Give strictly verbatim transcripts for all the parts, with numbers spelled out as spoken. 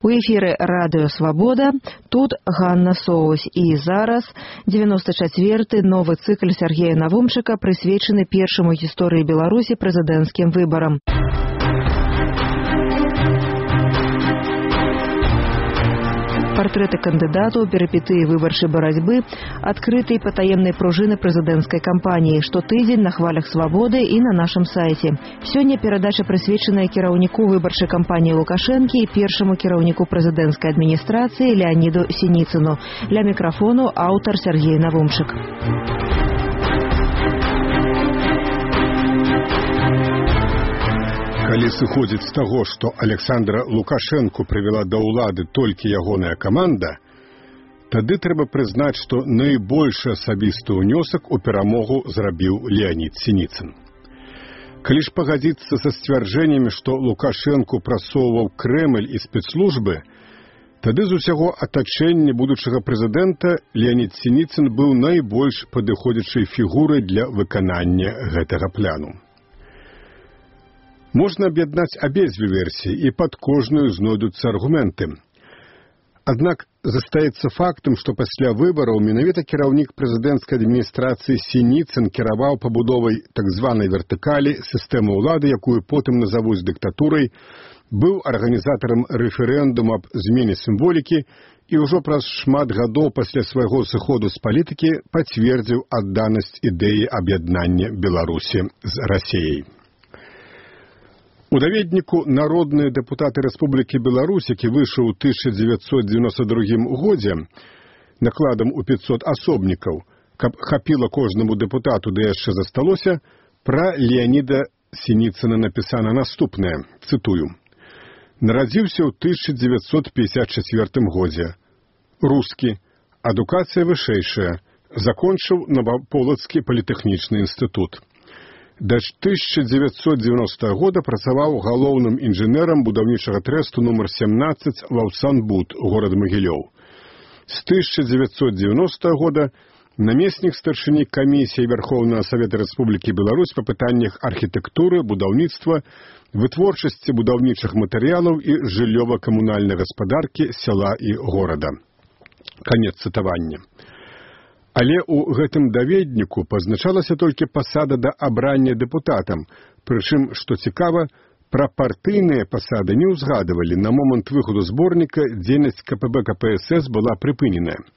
У эфіры Радыё Свабода, тут Ганна Соусь. І зараз девяносто четвёрты новы цыкл Сергея Навумчыка, прысвечаны першаму гісторыі Беларусі прэзідэнцкім выбарам. Партрэты кандыдатаў, перыпетыі выбарчай барацьбы, адкрытай патаемнай пружыны прэзідэнцкай кампаніі, штотыдзень на хвалях Свабоды і на нашым сайце. Сёння перадача прысвечаная кіраўніку выбарчай кампаніі Лукашэнкі і першаму кіраўніку прэзідэнцкай адміністрацыі Леаніду Сініцыну. Ля мікрафону аўтар Сергей Навумчык. Калі сыходзіць з таго, што Александра Лукашэнку прывяла да ўлады толькі ягоная каманда, тады трэба прызнаць, што найбольшы асабісты ўнёсак у перамогу зрабіў Леанід Сініцын. Калі ж пагадзіцца са сцвярджэннямі, што Лукашэнку прасоўваў Крэмль і спецслужбы, тады з усяго атачэння будучага прэзідэнта Леанід Сініцын быў найбольш падыходзячай фігурай для выканання гэтага пляну. Можна аб'яднаць абедзве версіі, і пад кожную знойдуцца аргументы. Аднак застаецца фактам, што пасля выбараў менавіта кіраўнік прэзідэнцкай адміністрацыі Сініцын кіраваў пабудовай так званай вертыкалі сістэмы ўлады, якую потым назавуць дыктатурай, быў арганізатарам рэферэндуму аб змене сімволікі і ўжо праз шмат гадоў пасля свайго сыходу з палітыкі пацвердзіў адданасць ідэі аб'яднання Беларусі з Расіяй. У даведніку «Народныя дэпутаты Рэспублікі Беларусь», які выйшаў у тысяча дзевяцьсот дзевяносто другім годзе накладам у пятьсот асобнікаў, каб хапіла кожнаму дэпутату, да яшчэ засталося, пра Леаніда Сініцына напісана наступнае, цытую. «Нарадзіўся ў тысяча дзевяцьсот пятьдесят четвёртым годзе. Рускі, адукацыя вышэйшая, закончыў Новаполацкі політэхнічны інстытут. Да тысяча дзевяцьсот девяностого года працаваў галоўным інжынерам будаўнічага трэсту нумар семнадцать Лаўсанбуд, горад Магілёў. З тысяча дзевяцьсот девяностого года намеснік старшыні камісіі Верховнага Савета Рэспублікі Беларусь па пытаннях архітэктуры, будаўніцтва, вытворчасці будаўнічых матэрыялаў і жыллёва-камунальнай гаспадаркі сяла і горада». Канец цытавання. Але ў гэтым даведніку пазначалася толькі пасада да абрання дэпутатам, прычым, што цікава, пра партыйныя пасады не ўзгадывалі. На момант выходу зборніка дзейнасць ка пэ бэ ка пэ эс эс была прыпыненая.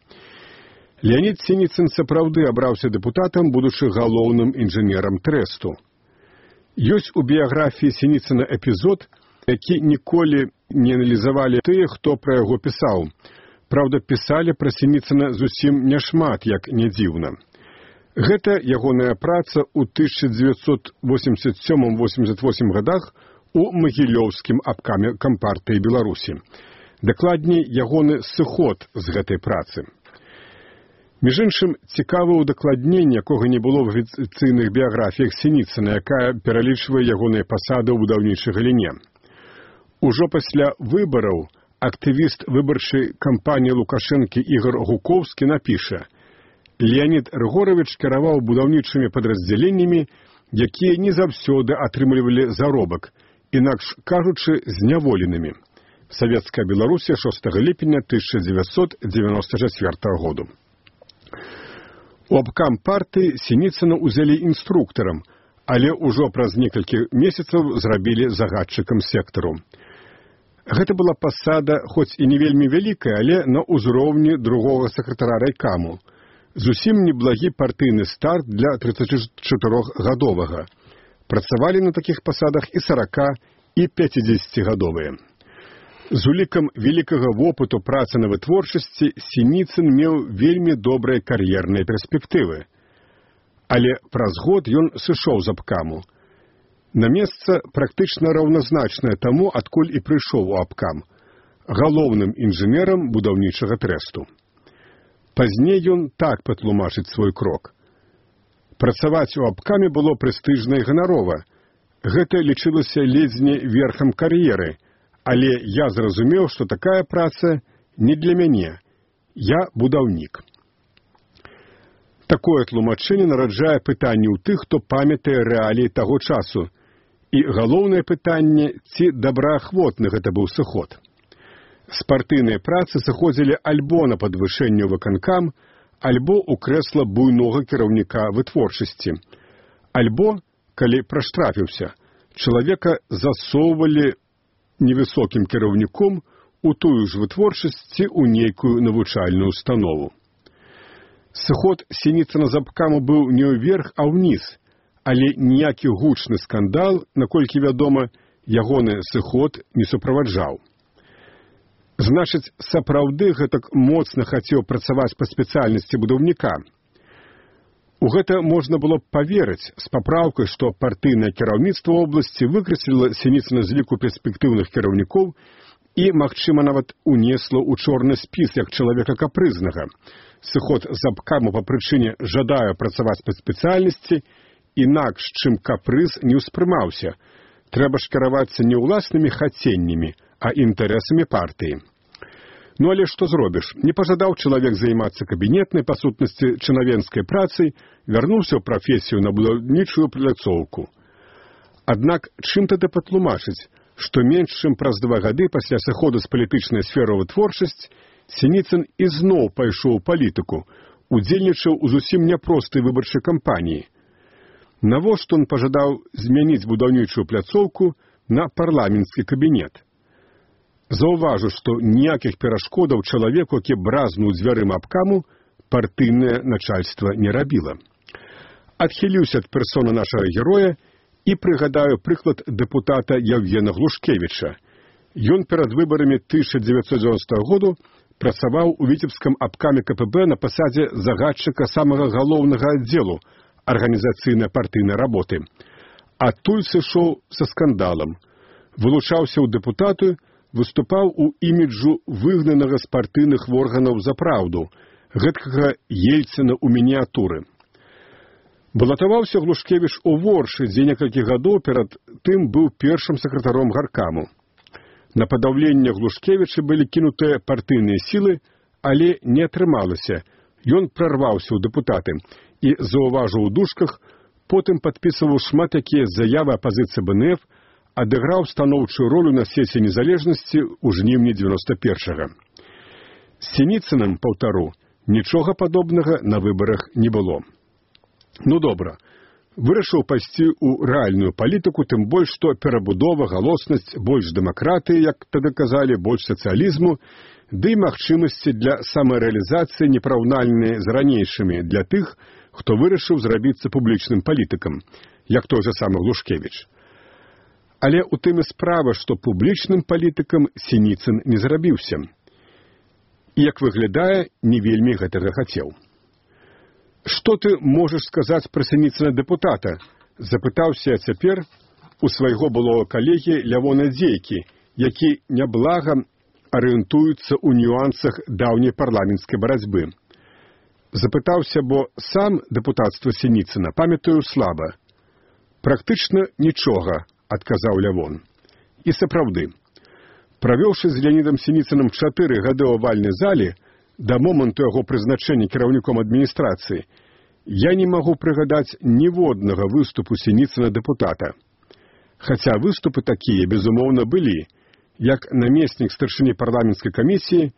Леанід Сініцын сапраўды абраўся дэпутатам, будучы галоўным інжынерам трэсту. Ёсць у біяграфіі Сініцына эпізод, які ніколі не аналізавалі тыя, хто пра яго пісаў. Праўда, пісалі пра Сініцына зусім няшмат, як не дзіўна. Гэта ягоная праца ў тысяча дзевяцьсот восемьдесят сёмым — восемьдесят восьмым гадах у Магілёўскім абкаме Кампартыі Беларусі. Дакладней, ягоны сыход з гэтай працы. Між іншым, цікава ўдакладненне, якога не было в афіцыйных біяграфіях Сініцына, якая пералічвае ягоныя пасады ў будаўнічай галіне. Ужо пасля выбараў актывіст выбарчай кампаніі Лукашэнкі Ігор Гукоўскі напіша: «Леанід Рыгоравіч кіраваў будаўнічымі падраздзяленнямі, якія не заўсёды атрымлівалі заробак, інакш кажучы, зняволенымі». Савецкая Беларусія, шостага ліпеня тысяча дзевяцьсот дзевяносто чацвёртага году. У абкам партыі Сініцына ўзялі інструктарам, але ўжо праз некалькі месяцаў зрабілі загадчыкам сектару. Гэта была пасада, хоць і не вельмі вялікая, але на ўзроўні другога сакратара райкаму. Зусім неблагі партыйны старт для трыццацічатырохгадовага. Працавалі на такіх пасадах і сарака, і пяцідзесяцігадовыя. З улікам вялікага вопыту працы на вытворчасці Сініцын меў вельмі добрыя кар'ерныя перспектывы. Але праз год ён сышоў з абкаму. На месца практычна раўназначнае таму, адкуль і прыйшоў у абкам, галоўным інжынерам будаўнічага трэсту. Пазней ён так патлумачыць свой крок. Працаваць у абкаме было прэстыжна і ганарова. Гэта лічылася ледзьне верхам кар'еры, але я зразумеў, што такая праца не для мяне. Я будаўнік. Такое тлумачэнне нараджае пытанне ў тых, хто памятае рэаліі таго часу. І галоўнае пытанне, ці добраахвотны гэта быў сыход. З партыйнай працы сыходзілі альбо на падвышэнне ў выканкам, альбо ў крэсла буйнога кіраўніка вытворчасці. Альбо, калі праштрафіўся, чалавека засоўвалі невысокім кіраўніком у тую ж вытворчасці ў нейкую навучальную установу. Сыход Сініцына з абкаму быў не ўверх, а ўніз, але ніякі гучны скандал, наколькі вядома, ягоны сыход не суправаджаў. Значыць, сапраўды гэтак моцна хацеў працаваць па спецыяльнасці будаўніка. У гэта можна было б паверыць з папраўкай, што партыйнае кіраўніцтва вобласці выкрэсліла Сініцына з ліку перспектыўных кіраўнікоў і, магчыма, нават унесла ў чорны спіс як чалавека капрызнага. Сыход з абкаму па прычыне жадае працаваць па спецыяльнасці, інакш, чым капрыз, не ўспрымаўся. Трэба ж кіравацца не ўласнымі хаценнямі, а інтарэсамі партыі. Ну але што зробіш? Не пажадаў чалавек займацца кабінетнай, па сутнасці, чынавенскай працай, вярнуўся ў прафесію на будаўнічую пляцоўку. Аднак чым тады патлумачыць, што менш чым праз два гады пасля сыходу з палітычнай сферы ў вытворчасць Сініцын ізноў пайшоў у палітыку, удзельнічаў у зусім няпростай выбарчай кампаніі. Навошта ён пажадаў змяніць будаўнічую пляцоўку на парламенцкі кабінет? Заўважу, што ніякіх перашкодаў чалавеку, які бразнуў дзвярыма абкаму, партыйнае начальства не рабіла. Адхіліўся ад персоны нашага героя і прыгадаю прыклад дэпутата Яўгена Глушкевіча. Ён перад выбарамі тысяча дзевяцьсот дзевяностага году працаваў у віцебскім абкаме ка пэ бэ на пасадзе загадчыка самага галоўнага аддзелу арганізацыйнай партыйнай работы. Адтуль сышоў са скандалам. Вылучаўся ў дэпутаты, выступаў у іміджу выгнанага з партыйных органаў за праўду, гэткага Ельцына ў мініятуры. Балатаваўся Глушкевіч у Воршы, дзе некалькі гадоў перад тым быў першым сакратаром гаркаму. На падаўленне Глушкевіча былі кінутыя партыйныя сілы, але не атрымалася. Ён прарваўся ў дэпутаты і, заўважыў у дужках, потым падпісываў шмат якія заявы апазіцыі бэ эн эф, адыграў станоўчую ролю на сесіі незалежнасці ў жніўні дзевяноста першага. З Сініцыным, паўтару, нічога падобнага на выбарах не было. Ну добра, вырашыў пайсці ў рэальную палітыку, тым больш, што перабудова, галоснасць, больш дэмакратыі, як тады казалі, больш сацыялізму, ды і магчымасці для самарэалізацыі непараўнальныя з ранейшымі для тых, хто вырашыў зрабіцца публічным палітыкам, як той жа самы Глушкевіч. Але ў тым і справа, што публічным палітыкам Сініцын не зрабіўся. І, як выглядае, не вельмі гэтага хацеў. «Што ты можаш сказаць пра Сініцына дэпутата?» – запытаўся я цяпер у свайго былога калегі Лявона Дзейкі, які няблага арыентуецца ў нюансах даўняй парламенцкай барацьбы. Запытаўся, бо сам дэпутацтва Сініцына памятаю слаба. «Практычна нічога», – адказаў Лявон. І сапраўды, правёўшы з Леонідам Сініцыным чатыры гады ў авальнай зале, да моманту яго прызначэння кіраўніком адміністрацыі, я не магу прыгадаць ніводнага выступу Сініцына дэпутата. Хаця выступы такія, безумоўна, былі. Як намеснік старшыні парламенцкай камісіі,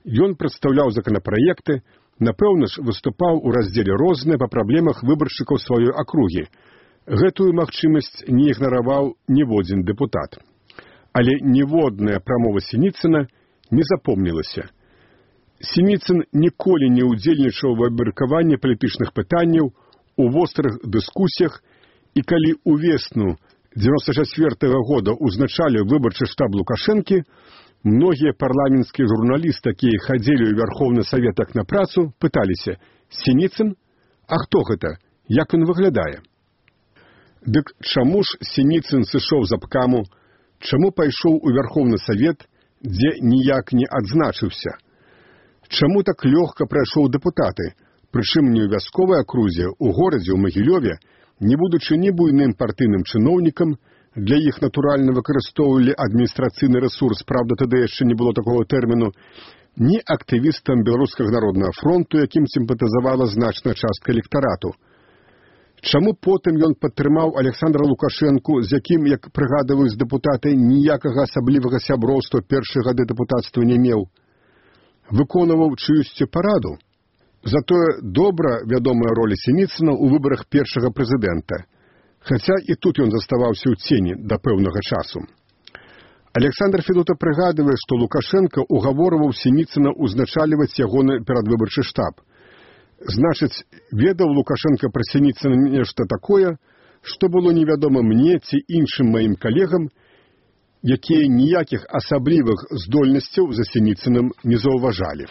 ён прадстаўляў законапраекты, напэўна ж, выступаў у раздзеле «Розныя» па праблемах выбаршчыкаў сваёй акругі. Гэтую магчымасць не ігнараваў ніводзін дэпутат. Але ніводная прамова Сініцына не запомнілася. Сініцын ніколі не ўдзельнічаў у абмеркаванні палітычных пытанняў, у вострых дыскусіях, і калі ўвесну дзевяноста чацвёртага года ўзначалі выбарчы штаб Лукашэнкі, многія парламенцкія журналісты, якія хадзілі ў Вярхоўны Савет як на працу, пыталіся: «Сініцын? А хто гэта? Як ён выглядае?» Дык чаму ж Сініцын сышоў з абкаму, чаму пайшоў у Вярхоўны Савет, дзе ніяк не адзначыўся? Чаму так лёгка прайшоў дэпутаты, прычым не ў вясковай акрузе, у горадзе, у Магілёве, не будучы ні буйным партыйным чыноўнікам, для іх натуральна выкарыстоўвалі адміністрацыйны рэсурс, правда, тады яшчэ не было такога тэрміну, ні актывістам Беларускага народнага фронту, якім сімпатызавала значная частка электарату. Чаму потым ён падтрымаў Александра Лукашэнку, з якім, як прыгадваюць дэпутаты, ніякага асаблівага сяброўства першыя гады дэпутацтва не меў? Выконваў чыюсьці параду? Затое добра вядомая роля Сініцына ў выбарах першага прэзідэнта, хаця і тут ён заставаўся ў цені да пэўнага часу. Александр Федута прыгадвае, што Лукашенко угаворваў Сініцына узначальваць ягоны перадвыбарчы штаб. Значыць, ведаў Лукашенко пра Сініцына нешта такое, што было невядома мне ці іншым маім калегам, якія ніякіх асаблівых здольнасцяў за Сініцыным не заўважалі.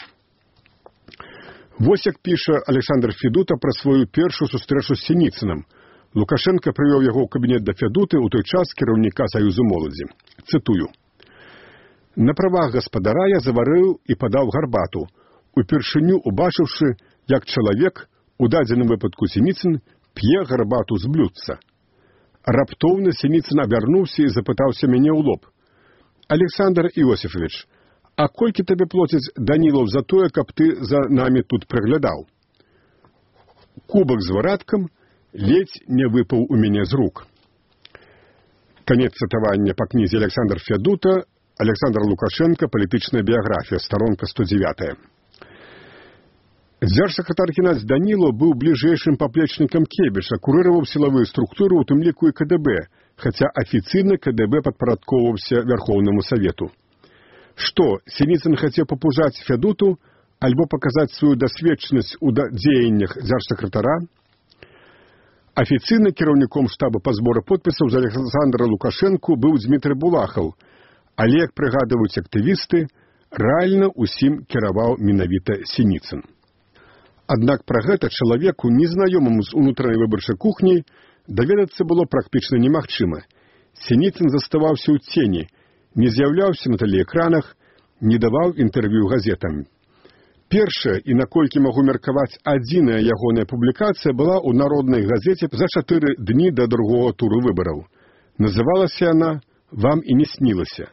Вось як піша Александр Федута пра сваю першую сустрэчу з Сініцыным. Лукашенко прывёў яго ў кабінет да Федуты ў той час кіраўніка Саюзу моладзі. Цытую. «На правах гаспадара я заварыў і падаў гарбату, упершыню убачыўшы, як чалавек, у дадзеным выпадку Сініцын, п'е гарбату з блюдца. Раптоўна Сініцын абярнуўся і запытаўся мяне ў лоб. Александр Іосифович, а колькі табе плоціць Данілаў за тое, каб ты за намі тут прыглядаў? Кубак з вараткам ледзь не выпаў у мяне з рук». Канец цытавання па кнізе Александр Федута, Александр Лукашенко, палітычная біяграфія, старонка сто дзевятая. Дзяржсакратар Геннадзь Данілаў быў бліжэйшым паплечнікам Кебіша, курыраваў сілавыя структуры, у тым ліку і КДБ, хаця афіцыйна КДБ падпарадкоўваўся Вярхоўнаму Савету. Што, Сініцын хацеў папужаць Федуту альбо паказаць сваю дасведчанасць у дзеяннях дзяржсакратара? Афіцыйна кіраўніком штаба па зборы подпісаў за Александра Лукашэнку быў Дзмітрый Булахаў, але, як прыгадваюць актывісты, рэальна ўсім кіраваў менавіта Сініцын. Аднак пра гэта чалавеку, незнаёмаму з унутранай выбарчай кухняй, даведацца было практычна немагчыма. Сініцын заставаўся ў цені, не з'яўляўся на тэлеэкранах, не даваў інтэрв'ю газетам. Першая, і наколькі магу меркаваць, адзіная ягоная публікацыя была ў народнай газеце за чатыры дні да другога туру выбараў. Называлася яна «Вам і не снілася»,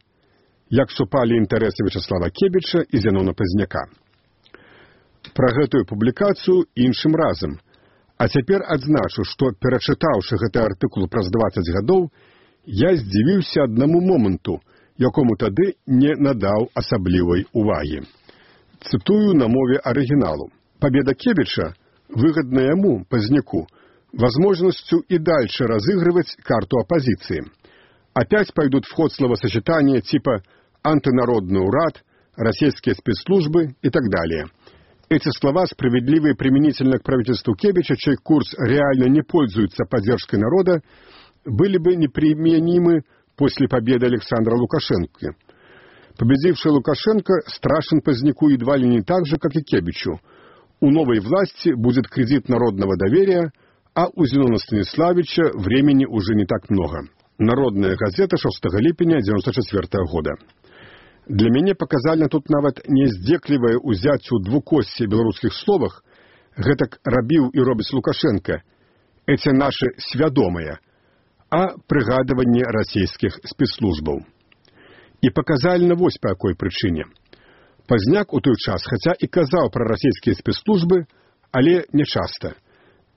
як супалі інтарэсы Вячаслава Кебіча і Зянона Пазняка. Пра гэтую публікацыю іншым разам. А цяпер адзначу, што, перачытаўшы гэты артыкул праз дваццаць гадоў, я здзівіўся аднаму моманту, якому тады не надаў асаблівай увагі. Цытую на мове арыгіналу. Победа Кебича выгодна ему, Поздняку, возможностью и дальше разыгрывать карту оппозиции. Опять пойдут в ход словосочетания типа «антинародный урад», «российские спецслужбы» и так далее. Эти слова, справедливые применительно к правительству Кебича, чей курс реально не пользуется поддержкой народа, были бы неприменимы после победы Александра Лукашенко. Победивший Лукашенко страшен Поздняку едва ли не так же, как и Кебичу. У новой власти будет кредит народного доверия, а у Зенона Станиславича времени уже не так много. Народная газета шостага ліпеня дзевяносто четвёртага года. Для мяне паказальна тут нават не здзеклівае ўзяццю двукосці беларускіх словах, гэтак рабіў і робіць Лукашенко, эти наши свядомыя, а прыгадыванне расійскіх спецслужбаў. І паказальна вось па якой прычыне. Пазняк у той час, хаця і казаў пра расійскія спецслужбы, але не часта.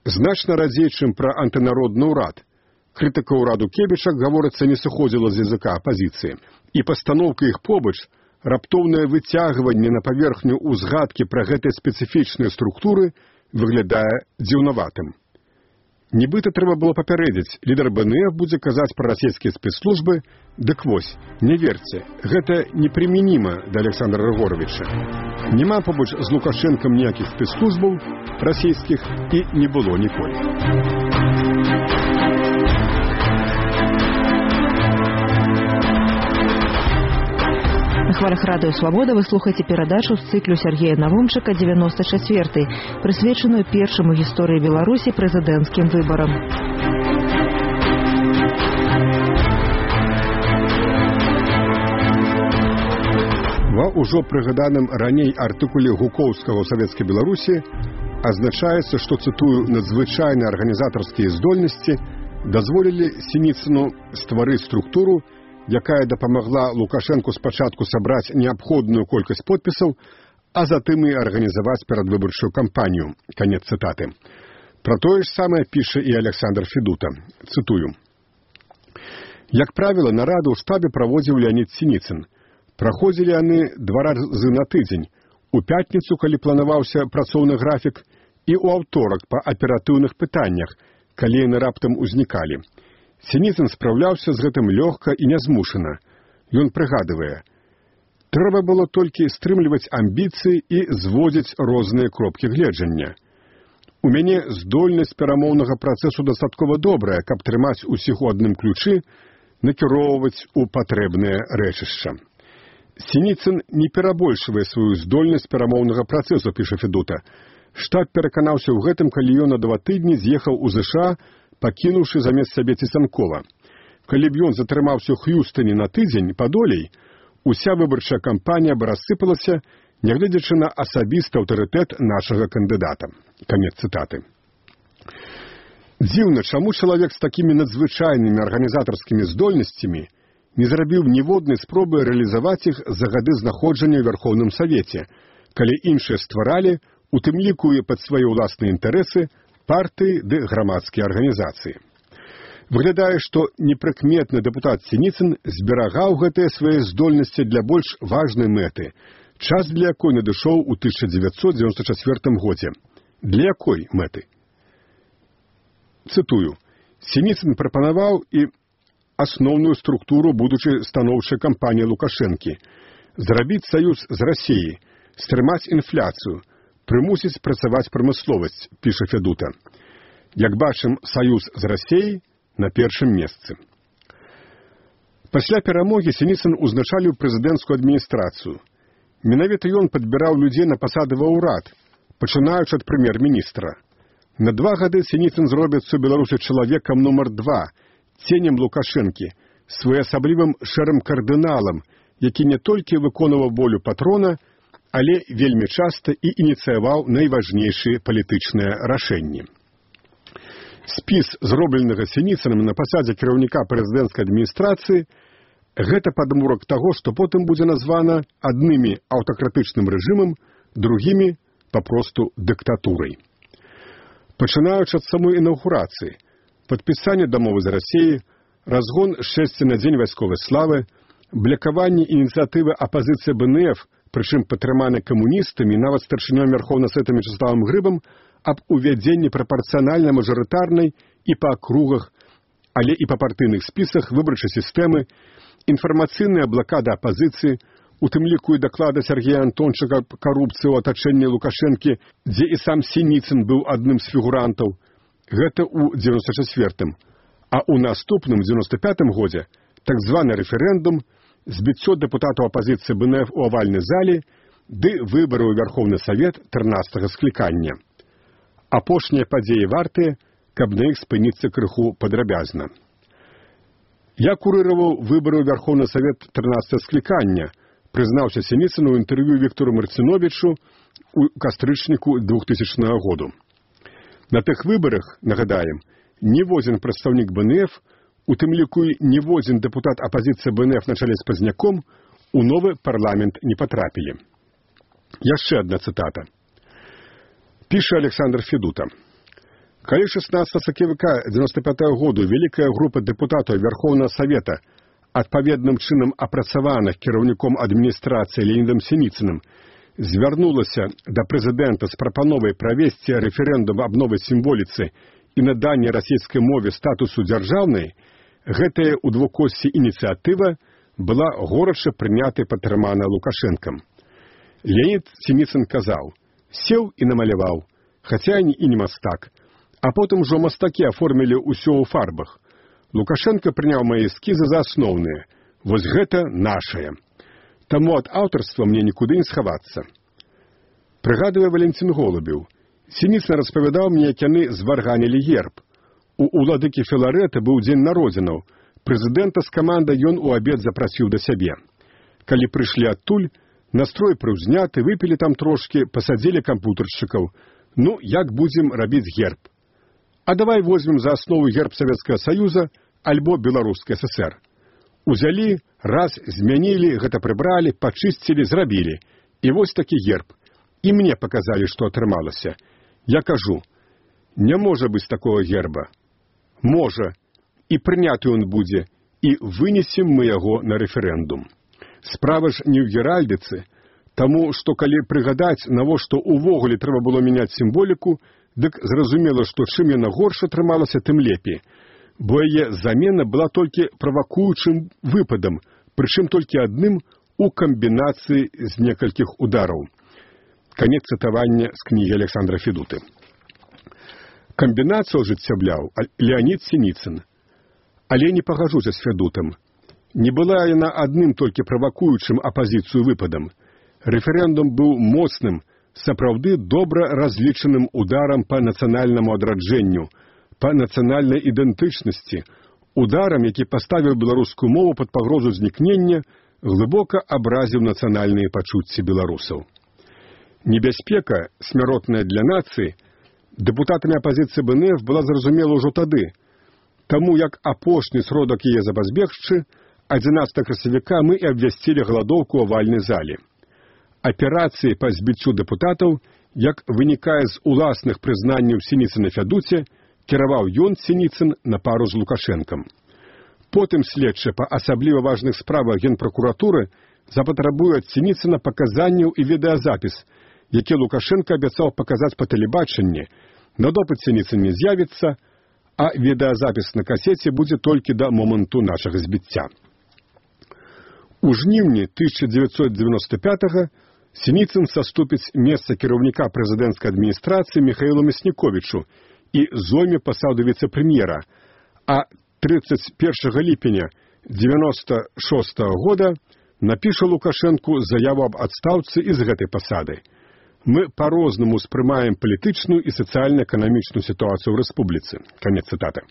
Значна радзей, чым пра антынародны ўрад. Крытыка ўраду Кебіча, гаворыцца, не сыходзіла з языка апазіцыі. І пастаноўка іх побач, раптоўнае выцягванне на паверхню ўзгадкі пра гэтыя спецыфічныя структуры выглядае дзіўнаватым. Нібыта трэба было папярэдзіць, лідар БНФ будзе казаць пра расійскія спецслужбы, дык вось, не верце, гэта непрымяніма да Александра Рыгоровича. Няма побач з Лукашэнкам ніякіх спецслужбаў расійскіх і не было ніколі. На хвалях радыё «Свабода» вы слухаеце перадачу з цыклю Сергея Навумчыка девяносто четвёртый, прысвечаную першаму гісторыі Беларусі прэзідэнцкім выбарам. Ва ўжо прыгаданым раней артыкуле Гукоўскага ў Савецкай Беларусі азначаецца, што, цытую, надзвычайныя арганізатарскія здольнасці дазволілі Сініцыну стварыць структуру, якая дапамагла Лукашэнку спачатку сабраць неабходную колькасць подпісаў, а затым і арганізаваць перадвыбарчую кампанію. Канец цытаты. Пра тое ж самае піша і Александр Федута. Цытую. Як правіла, нараду ў штабе праводзіў Леонид Синицын. Праходзілі яны два разы на тыдзень. У пятніцу, калі планаваўся працоўны графік, і ў аўторак па аператыўных пытаннях, калі яны раптам узнікалі. Синицын спраўляўся з гэтым лёгка і нязмушана. Ён прыгадывае. Трэба было толькі стрымліваць амбіцыі і зводзіць розныя кропкі гледжання. У мяне здольнасць перамоўнага працэсу дастаткова добрая, каб трымаць усіх у адным ключы, накіроўваць у патрэбнае рэчышча. Синицын не перабольшвае сваю здольнасць перамоўнага працэсу, піша Федута. Штаб пераканаўся ў гэтым, калі ён на два тыдні з'ехаў у ЗША, пакінуўшы замест сабе Ціцанкова. Калі б ён затрымаўся ў Х'юстоне на тыдзень падолей, уся выбарчая кампанія б рассыпалася, нягледзячы на асабісты аўтарытэт нашага кандыдата. Канец цытаты. Дзіўна, чаму чалавек з такімі надзвычайнымі арганізатарскімі здольнасцямі не зрабіў ніводнай спробы рэалізаваць іх за гады знаходжання ў Вярхоўным Савеце, калі іншыя стваралі, у тым ліку і пад свае ўласныя інтарэсы, партыі ды грамадскія арганізацыі. Выглядае, што непрыкметны дэпутат Синицын зберагаў гэтыя свае здольнасці для больш важнай мэты, час для якой надышоў у тысяча дзевяцьсот дзевяносто чацвёртым годзе. Для якой мэты? Цытую. Синицын прапанаваў і асноўную структуру будучай станоўчай кампаніі Лукашэнкі, зрабіць саюз з Расіяй, стрымаць інфляцыю, прымусіць працаваць прамысловасць, піша Федута. Як бачым, саюз з Расіяй на першым месцы. Пасля перамогі Синицын узначаліў прэзідэнцкую адміністрацыю. Менавіта ён падбіраў людзей на пасады ва ўрад, пачынаючы ад прэм'ер-міністра. На два гады Синицын зробіцца ў Беларусі чалавекам нумар два, ценем Лукашэнкі, своеасаблівым шэрым кардыналам, які не толькі выконваў волю патрона, але вельмі часта і ініцыяваў найважнейшыя палітычныя рашэнні. Спіс, зробленага Синицыным на пасадзе кіраўніка прэзідэнцкай адміністрацыі, гэта падмурак таго, што потым будзе названа аднымі аўтакратычным рэжымам, другімі папросту дыктатурай. Пачынаючы ад самой інаўгурацыі, падпісанне дамовы з Расіяй, разгон з шэсці на дзень вайсковай славы, блякаванне ініцыятывы апазіцыі бэ эн эф, прычым падтрыманы камуністамі, нават старшынём Вярхоўнага Савета Мячеславам Грыбам, аб увядзенні прапарцыянальна-мажарытарнай і па акругах, але і па партыйных спісах выбарчай сістэмы, інфармацыйная блакада апазіцыі, у тым ліку і даклада Сергея Антончыка карупцыі ў атачэнні Лукашэнкі, дзе і сам Синицын быў адным з фігурантаў. Гэта ў дзевяносто чацвёртым. А ў наступным дзевяносто пятым годзе так званы рэферэндум, збіццё дэпутатаў апазіцыі бэ эн эф у авальнай зале ды выбары ў Вярхоўны Савет трынаццатага склікання. Апошнія падзеі вартыя, каб на іх спыніцца крыху падрабязна. Я курыраваў выбары ў Вярхоўны Савет трынаццатага склікання, прызнаўся Синицын у інтэрв'ю Віктору Марціновічу у кастрычніку двухтысячнага году. На тых выбарах, нагадаем, ніводзін прадстаўнік бэ эн эф, у тым ліку і ніводзін дэпутат апазіцыі бэ эн эф на чале з Пазняком у новы парламент не патрапілі. Яшчэ адна цытата. Піша Александр Федута. Калі шэснаццатага сакавіка дзевяносто пятага году вялікая група дэпутатаў Вярхоўнага Савета, адпаведным чынам апрацаваных кіраўніком адміністрацыі Леонідам Синицыным, звярнулася да прэзідэнта з прапановай правесці рэферэндум аб новай сімволіцы і наданне расійскай мове статусу дзяржаўнай, гэтая ў двукоссі ініцыятыва была горача прынятай падтрымана Лукашэнкам. Леонід Синицын казаў, сеў і намаляваў, хаця і не мастак, а потым ужо мастакі аформілі ўсё ў фарбах. Лукашенко прыняў мае эскізы за асноўныя. Вось гэта нашае. Таму ад аўтарства мне нікуды не схавацца. Прыгадвае Валентин Голубеў. Синицын распавядаў мне, як яны зварганілі герб. У уладыкі Філарэта быў дзень народзінаў. Прэзідэнта з камандай ён у абед запрасіў да сябе. Калі прыйшлі адтуль, настрой прыўзняты, выпілі там трошкі, пасадзілі кампутаршчыкаў. Ну, як будзем рабіць герб? А давай возьмем за аснову герб Савецкага Саюза альбо Беларускі эс эс эр. Узялі, раз, змянілі, гэта прыбралі, пачысцілі, зрабілі. І вось такі герб. І мне паказалі, што атрымалася. Я кажу, Не можа быць такого герба. Можа, і прыняты ён будзе, і вынесем мы яго на рэферэндум. Справа ж не ў геральдыцы, таму што калі прыгадаць, навошта увогуле трэба было мяняць сімволіку, дык зразумела, што чым яна горш атрымалася, тым лепей, бо яе замена была толькі правакуючым выпадам, прычым толькі адным у камбінацыі з некалькіх удараў. Канец цытавання з кнігі Александра Федуты. Камбінацыю ажыццяўляў Леонід Сініцын. Але не пагажуся з Федутам. Не была яна адным толькі правакуючым апазіцыю выпадам. Рэферэндум быў моцным, сапраўды добра разлічаным ударам па нацыянальнаму адраджэнню, па нацыянальнай ідэнтычнасці, ударам, які паставіў беларускую мову пад пагрозу знікнення, глыбока абразіў нацыянальныя пачуцці беларусаў. Небяспека, смяротная для нацыі, дэпутатамі апазіцыі бэ эн эф была зразумела ўжо тады. Таму як апошні сродак яе запазбегчы, адзінаццатага красавіка мы і абвясцілі галадоўку ў авальнай зале. Аперацыі па збіццю дэпутатаў, як вынікае з уласных прызнанняў Сініцына Фядуце, кіраваў ён Сініцын на пару з Лукашэнкам. Потым следчы па асабліва важных справах Генпракуратуры запатрабуе ад Сініцына паказанняў і відэазапіс, які Лукашенко абяцаў паказаць па тэлебачанні, на допыт Сініцын не з'явіцца, а відэазапіс на касеце будзе толькі да моманту нашага збіцця. У жніўні тысяча дзевяцьсот дзевяноста пятага Сініцын саступіць месца кіраўніка прэзідэнцкай адміністрацыі Міхаілу Мясніковічу і зойме пасаду віцэ-прэм'ера, а трыццаць першага ліпеня дзевяноста шостага года напіша Лукашэнку заяву аб адстаўцы і з гэтай пасады. Мы па-рознаму ўспрымаем палітычную і сацыяльна-эканамічную сітуацыю ў рэспубліцы. Канец цытаты.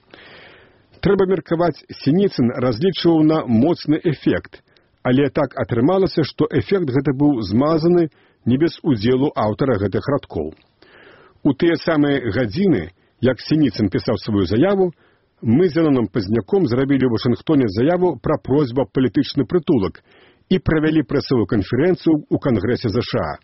Трэба меркаваць, Сініцын разлічваў на моцны эфект, але так атрымалася, што эфект гэты быў змазаны не без удзелу аўтара гэтых радкоў. У тыя самыя гадзіны, як Сініцын пісаў сваю заяву, мы з Зеленым Пазняком зрабілі ў Вашынгтоне заяву пра просьбу аб палітычны прытулак і правялі прэсавую канферэнцыю ў Кангрэсе ЗША.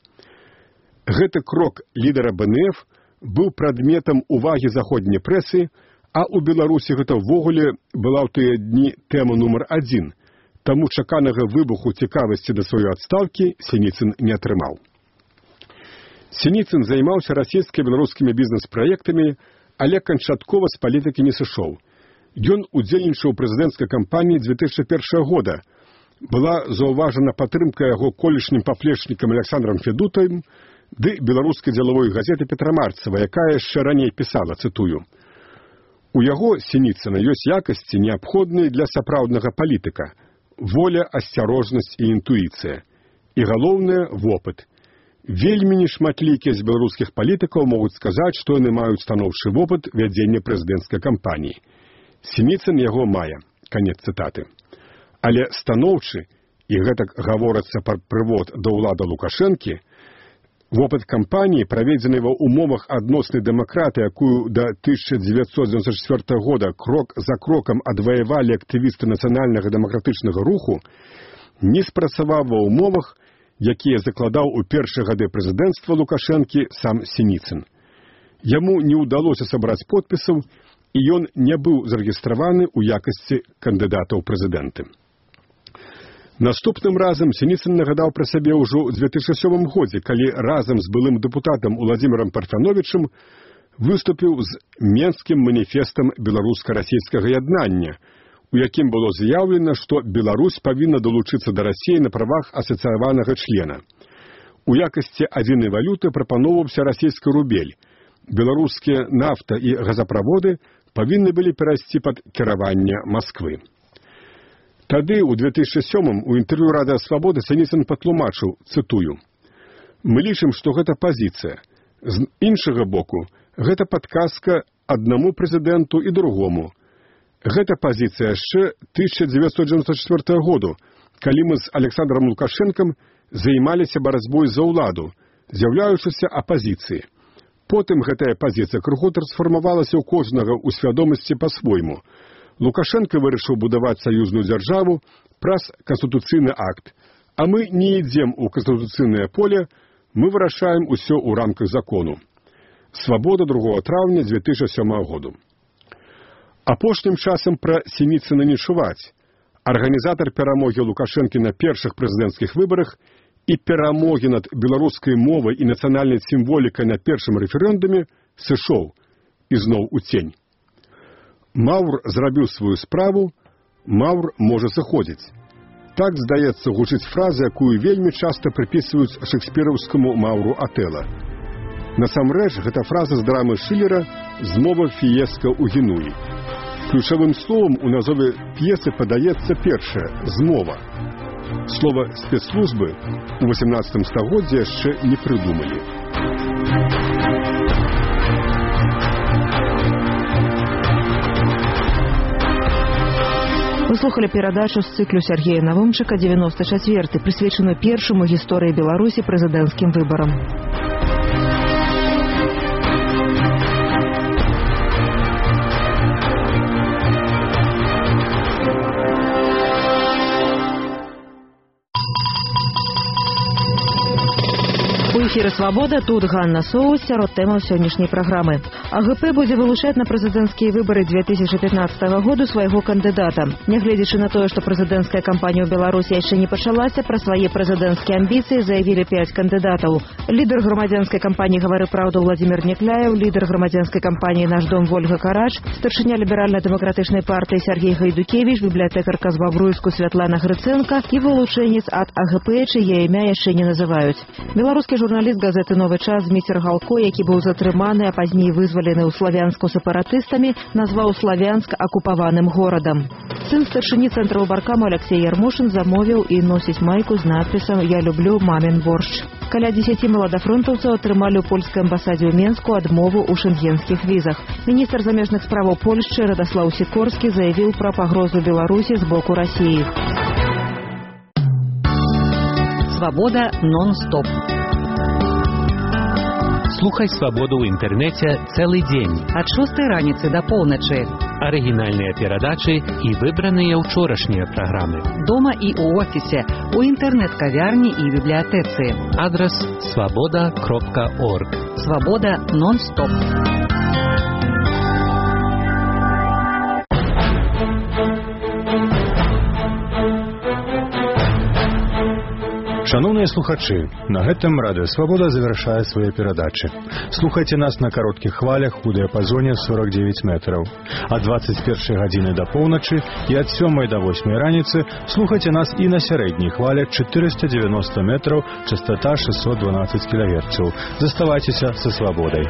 Гэты крок лідара бэ эн эф быў прадметам увагі заходняй прэсы, а ў Беларусі гэта ўвогуле была ў тыя дні тэма нумар адзін, таму чаканага выбуху цікавасці да сваёй адстаўкі Сініцын не атрымаў. Сініцын займаўся расійска-беларускімі бізнес-праектамі, але канчаткова з палітыкі не сышоў. Ён удзельнічаў у прэзідэнцкай кампаніі дзве тысячы першага года. Была заўважана падтрымка яго колішнім паплечнікам Александрам Федутам ды беларускай дзелавой газеты Петрамарцева, якая яшчэ раней пісала, цытую: «У яго, Сініцына, ёсць якасці, неабходныя для сапраўднага палітыка, воля, асцярожнасць і інтуіцыя. І галоўнае – вопыт. Вельмі нешматлікія з беларускіх палітыкаў могуць сказаць, што яны маюць станоўчы вопыт вядзення прэзідэнцкай кампаніі. Сініцын яго мае». Канец цытаты. Але станоўчы, і гэтак гаворыцца пра прывод да ўлады Лукашэнкі, вопыт кампаніі, праведзены ва ўмовах адноснай дэмакраты, якую да тысяча дзевяцьсот дзевяносто четвёртага года крок за крокам адваявалі актывісты нацыянальнага дэмакратычнага руху, не спрацаваў ва ўмовах, якія закладаў у першыя гады прэзідэнцтва Лукашэнкі сам Сініцын. Яму не ўдалося сабраць подпісаў, і ён не быў зарэгістраваны ў якасці кандыдата ў прэзідэнты. Наступным разам Сініцын нагадаў пра сябе ўжо ў дзве тысячы сёмым годзе, калі разам з былым дэпутатам Уладзімірам Парфяновічым выступіў з Менскім маніфестам беларуска-расійскага яднання, у якім было заяўлена, што Беларусь павінна далучыцца да Расіі на правах асацыяванага члена. У якасці адзінай валюты прапаноўваўся расійскі рубель. Беларускія нафта і газаправоды павінны былі перайсці пад кіраванне Масквы. Тады, у две тысячы сёмым, у інтэрв'ю Радыё Свабоды Сініцын патлумачыў, цытую: «Мы лічым, што гэта пазіцыя. З іншага боку, гэта падказка аднаму прэзідэнту і другому. Гэта пазіцыя яшчэ тысяча дзевяцьсот дзевяносто четвёртага году, калі мы з Александром Лукашэнкам займаліся барацьбой за ўладу, з'яўляючыся апазіцыяй. Потым гэтая пазіцыя крыху трансфармавалася ў кожнага ў свядомасці па-свойму. Лукашенко вырашыў будаваць саюзную дзяржаву праз канстытуцыйны акт, а мы не ідзем у канстытуцыйнае поле, мы вырашаем усё ў рамках закону. Свабода другого траўня дзве тысячы сёмага году. Апошнім часам пра Сініцына не чуваць. Арганізатар перамогі Лукашэнкі на першых прэзідэнцкіх выбарах і перамогі над беларускай мовай і нацыянальнай сімволікай на першым рэферэндуме сышоў ізноў у цень. Маўр зрабіў сваю справу, Маўр можа сыходзіць. Так, здаецца, гучыць фраза, якую вельмі часта прыпісваюць шэкспіраўскаму Маўру Атэла. Насамрэч, гэта фраза з драмы Шылера «Змова фіеска ў Генуі». Ключавым словам у назове п'есы падаецца першае – «змова». Слова «спецслужбы» у васямнаццатым стагоддзі яшчэ не прыдумалі. Вы слухали перадачу з цыклю Сергея Навумчыка «девяносто четвёртый», прысвечаную першаму гісторыі Беларусі прэзідэнцкім выбарам. У эфіры «Свабода», тут Ганна Соус, сярод тэмаў сённяшняй праграмы. АГП будзе вылучаць на прэзідэнцкія выбары дзве тысячы пятнаццатага году свайго кандыдата. Нягледзячы на тое, што прэзідэнцкая кампанія ў Беларусі яшчэ не пачалася, пра свае прэзідэнцкія амбіцыі заявілі пяць кандыдатаў. Лідар грамадзянскай кампаніі «Гавары праўду» Владзімір Някляеў, лідар грамадзянскай кампаніі «Наш дом» Вольга Карач, старшыня ліберальна-дэмакратычнай партыі Сергей Гайдукевіч, бібліятэкарка з Бабруйску Святлана Грыцэнка і вылучэнец ад АГП, чые імя яшчэ не называюць. Беларускі журналіст газеты «Новы час» Зміцер Галко, які быў затрыманы, а пазней вызвалены ў Славянску сепаратыстамі, назваў Славянск акупаваным горадам. Сын старшыні цэнтра выбаркаму Алексей Ярмошин замовіў і носіць майку з надпісам «Я люблю мамин борщ». Каля дзесяці маладафронтаўцаў атрымалі ў польскай амбасадзе ў Менску адмову ў шэнгенскіх візах. Міністр замежных справаў Польшчы Радаслаў Сікорскі заявіў пра пагрозу Беларусі з боку Расіі. Свабода нон-стоп. Слухай «Свабоду» ў інтэрнэце цэлы дзень. Ад шостай раніцы да поўначы. Арыгінальныя перадачы і выбраныя ўчорашнія праграмы. Дома і ў офісе, у інтэрнэт-кавярні і бібліятэцы. Адрас свабода кропка орг. Свабода нон-стоп. Шановныя слухачы, на гэтым радыё «Свабода» завяршае свае перадачы. Слухайце нас на кароткіх хвалях у дыяпазоне сорок девять метраў. Ад дваццаць першай гадзіны да поўначы і ад сёмай да восьмай раніцы слухайце нас і на сярэдняй хвале чатырыста дзевяноста метраў, частота шестьсот двенадцать кілогерцаў. Заставайцеся са «Свабодай».